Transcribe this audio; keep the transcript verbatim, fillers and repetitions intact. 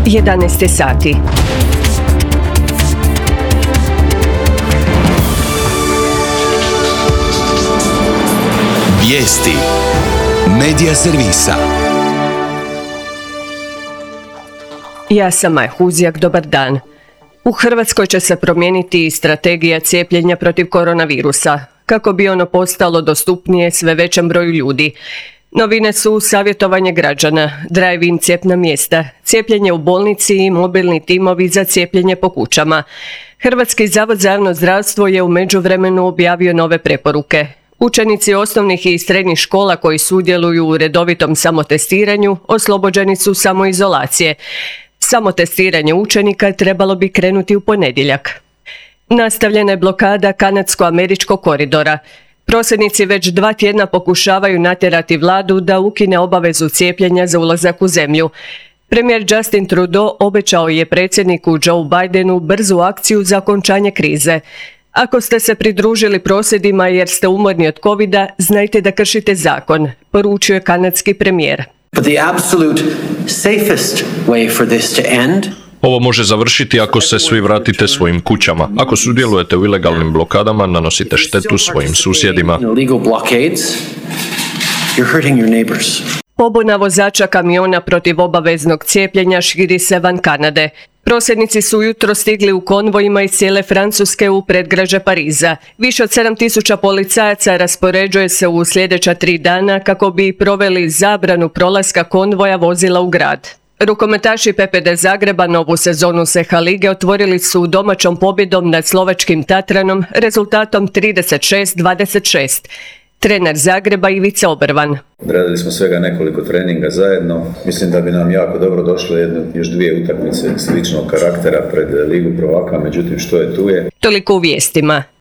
jedanaest sati. Vijesti Medija servisa. Ja sam Maja Huzjak, dobar dan. U Hrvatskoj će se promijeniti i strategija cijepljenja protiv koronavirusa, kako bi ono postalo dostupnije sve većem broju ljudi. Novine su savjetovanje građana, drive-in cijepna mjesta, cijepljenje u bolnici i mobilni timovi za cijepljenje po kućama. Hrvatski zavod za javno zdravstvo je u međuvremenu objavio nove preporuke. Učenici osnovnih i srednjih škola koji sudjeluju u redovitom samotestiranju oslobođeni su samoizolacije. Samotestiranje učenika trebalo bi krenuti u ponedjeljak. Nastavljena je blokada kanadsko-američkog koridora. Prosvjednici već dva tjedna pokušavaju natjerati vladu da ukine obavezu cijepljenja za ulazak u zemlju. Premijer Justin Trudeau obećao je predsjedniku Joe Bidenu brzu akciju za okončanje krize. Ako ste se pridružili prosvjedima jer ste umorni od covida, znajte da kršite zakon, poručio je kanadski premijer. But the absolute safest way for this to end. Ovo može završiti ako se svi vratite svojim kućama. Ako sudjelujete u ilegalnim blokadama, nanosite štetu svojim susjedima. Pobuna vozača kamiona protiv obaveznog cijepljenja širi se van Kanade. Prosvjednici su ujutro stigli u konvojima iz cijele Francuske u predgrađe Pariza. Više od sedam tisuća policajaca raspoređuje se u sljedeća tri dana kako bi proveli zabranu prolaska konvoja vozila u grad. Rukometaši P P D Zagreba novu sezonu S E H A lige otvorili su domaćom pobjedom nad slovačkim Tatranom rezultatom trideset šest dvadeset šest. Trener Zagreba Ivica Obrvan. Radili smo svega nekoliko treninga zajedno. Mislim da bi nam jako dobro došlo jedno, još dvije utakmice sličnog karaktera pred Ligu prvaka, međutim što je tu je. Toliko u vijestima.